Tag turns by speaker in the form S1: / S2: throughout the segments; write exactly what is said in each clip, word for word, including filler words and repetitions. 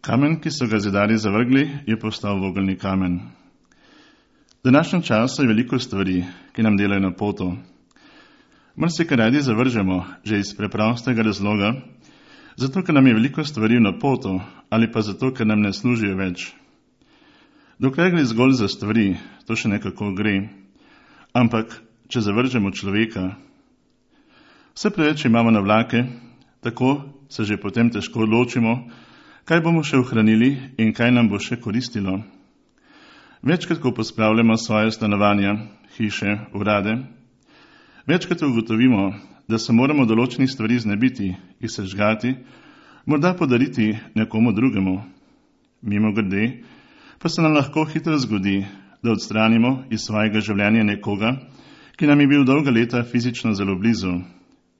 S1: Kamen, ki so ga zidarji zavrgli, je postal vogelni kamen. V današnjem času je veliko stvari, ki nam delajo na poto. Marsikaj radi zavržemo, že iz preprostega razloga, zato, ker nam je veliko stvari na poto, ali pa zato, ker nam ne služijo več. Dokler gre zgolj za stvari, to še nekako gre, ampak če zavržemo človeka, vse preveč imamo na vlake, tako se že potem težko odločimo, kaj bomo še ohranili in kaj nam bo še koristilo. Večkrat, ko pospravljamo svoje stanovanja, hiše, urade, večkrat ugotovimo, da se moramo določenih stvari znebiti, jih sežgati, morda podariti nekomu drugemu. Mimogrede, pa se nam lahko hitro zgodi, da odstranimo iz svojega življenja nekoga, ki nam je bil dolga leta fizično zelo blizu.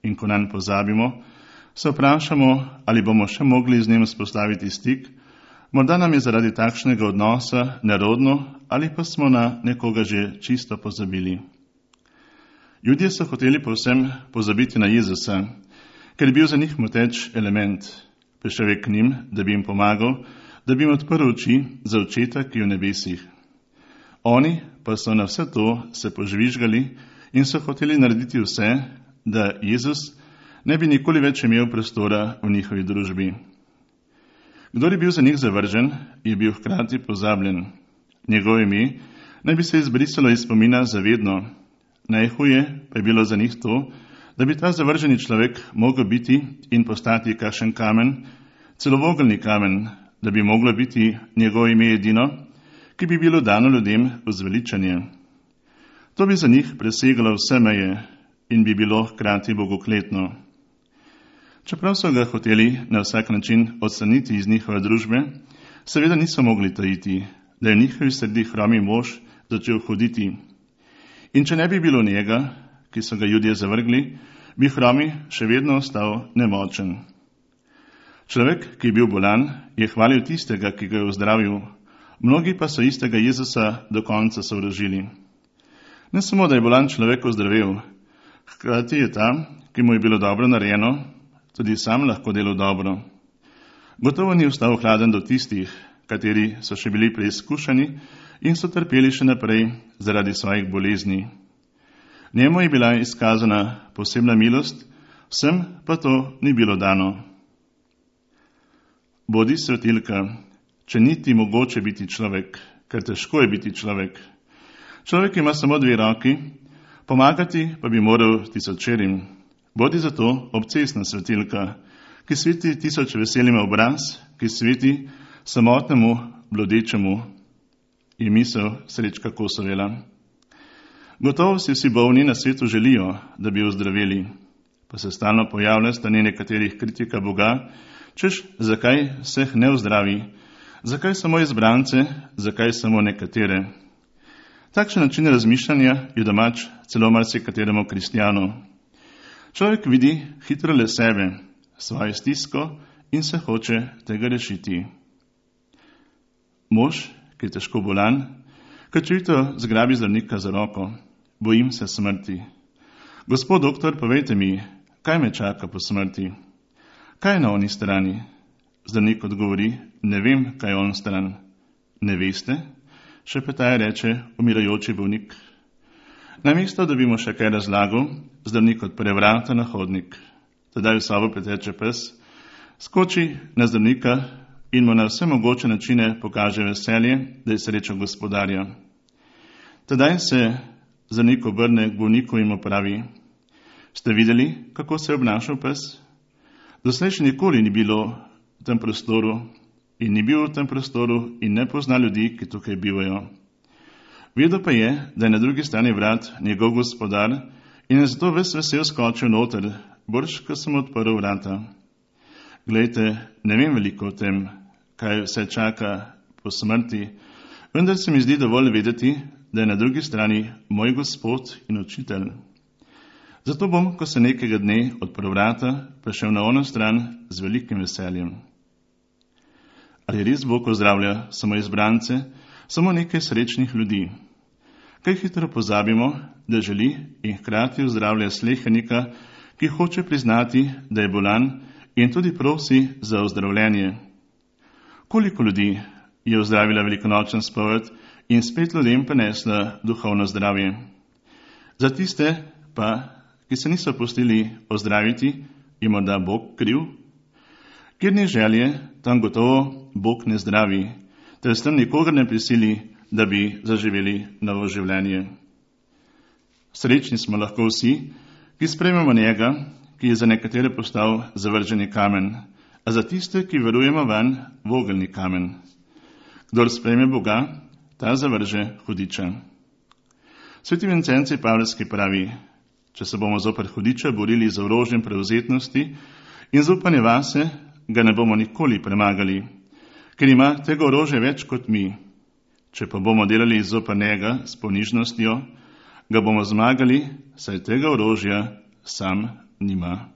S1: In ko nanj pozabimo, se vprašamo, ali bomo še mogli z njim vzpostaviti stik, morda nam je zaradi takšnega odnosa nerodno ali pa smo na nekoga že čisto pozabili. Ljudje so hoteli povsem pozabiti na Jezusa, ker je bil za njih moteč element. Prišel je k njim, da bi jim pomagal, da bi jim odprl oči za očeta, ki je v nebesih. Oni pa so na vse to se požvižgali in so hoteli narediti vse, da Jezus ne bi nikoli več imel prostora v njihovi družbi. Kdor je bil za njih zavržen, je bil hkrati pozabljen. Njegovo ime naj bi se izbrisalo iz spomina zavedno. Najhuje pa je bilo za njih to, da bi ta zavrženi človek mogel biti in postati kakšen kamen, celo vogelni kamen, da bi moglo biti njegovo ime edino, ki bi bilo dano ljudem v zveličanje. To bi za njih presegalo vse meje in bi bilo hkrati bogokletno. Čeprav so ga hoteli na vsak način odstraniti iz njihove družbe, seveda niso mogli tajiti, da je v njihovi sredi hromi mož začel hoditi. In če ne bi bilo njega, ki so ga Judje zavrgli, bi hromi še vedno ostal nemočen. Človek, ki je bil bolan, je hvalil tistega, ki ga je ozdravil, mnogi pa so istega Jezusa do konca sovražili. Ne samo, da je bolan človek ozdravel, hkrati je ta, ki mu je bilo dobro narejeno, tudi sam lahko delal dobro. Gotovo ni ostal hladen do tistih, kateri so še bili preizkušeni in so trpeli še naprej zaradi svojih bolezni. Njemu je bila izkazana posebna milost, vsem pa to ni bilo dano. Bodi svetilka, če ni ti mogoče biti človek, ker težko je biti človek. Človek ima samo dve roki, pomagati pa bi moral tisočerim. Bodi zato obcestna svetilka, ki sveti tisoč veselim obraz, ki sveti samotnemu, blodečemu. Je misel Srečka Kosovela. Gotovo si vsi bolni na svetu želijo, da bi ozdraveli, pa se stalno pojavlja stanje nekaterih kritika Boga, češ, zakaj vseh ne ozdravi, zakaj samo izbrance, zakaj samo nekatere. Takšen način razmišljanja je domač celo marsikateremu kristjanu. Človek vidi hitro le sebe, svojo stisko in se hoče tega rešiti. Mož, ki je težko bolan, krčevito zgrabi zdravnika za roko. Bojim se smrti. Gospod doktor, povejte mi, kaj me čaka po smrti? Kaj je na oni strani? Zdravnik odgovori, ne vem, kaj je on stran. Ne veste? Šepetaje reče umirajoči bolnik. Namesto, da bi mu še kaj razlagal, zdravnik odpre vrata na hodnik. Tedaj v sobo preteče pes, skoči na zdravnika in mu na vse mogoče načine pokaže veselje, da je srečal gospodarja. Tedaj se zdravnik obrne k bolniku in mu pravi, ste videli, kako se je obnašal pes? Doslej še nikoli ni bilo v tem prostoru in ni bil v tem prostoru in ne pozna ljudi, ki tukaj bivajo. Vedel pa je, da je na drugi strani vrat njegov gospodar in je zato ves vesel skočil noter, brž, ko sem odprl vrata. Glejte, ne vem veliko o tem, kaj vse čaka po smrti, vendar se mi zdi dovolj vedeti, da je na drugi strani moj gospod in učitelj. Zato bom, ko se nekega dne odprl vrata, prišel na ono stran z velikim veseljem. Ali res Bog ozdravlja samo izbrance, samo nekaj srečnih ljudi? Kaj hitro pozabimo, da želi in hkrati ozdravlja slehernika, ki hoče priznati, da je bolan in tudi prosi za ozdravljenje. Koliko ljudi je ozdravila velikonočen spoved in spet ljudem prinesla duhovno zdravje. Za tiste pa, ki se niso pustili ozdraviti, je morda Bog kriv? Kjer ni želje, tam gotovo Bog ne zdravi, ter s tem nikogar ne prisili, da bi zaživeli novo življenje. Srečni smo lahko vsi, ki sprejmemo njega, ki je za nekatere postal zavrženi kamen, a za tiste, ki verujemo vanj, vogelni kamen. Kdor sprejme Boga, ta zavrže hudiča. Sveti Vincenci Pavlski pravi, če se bomo zoper hudiča borili z orožjem prevzetnosti in zaupanje vase, ga ne bomo nikoli premagali, ker ima tega orožja več kot mi. Če pa bomo delali zoper njega s ponižnostjo, ga bomo zmagali, saj tega orožja sam nima.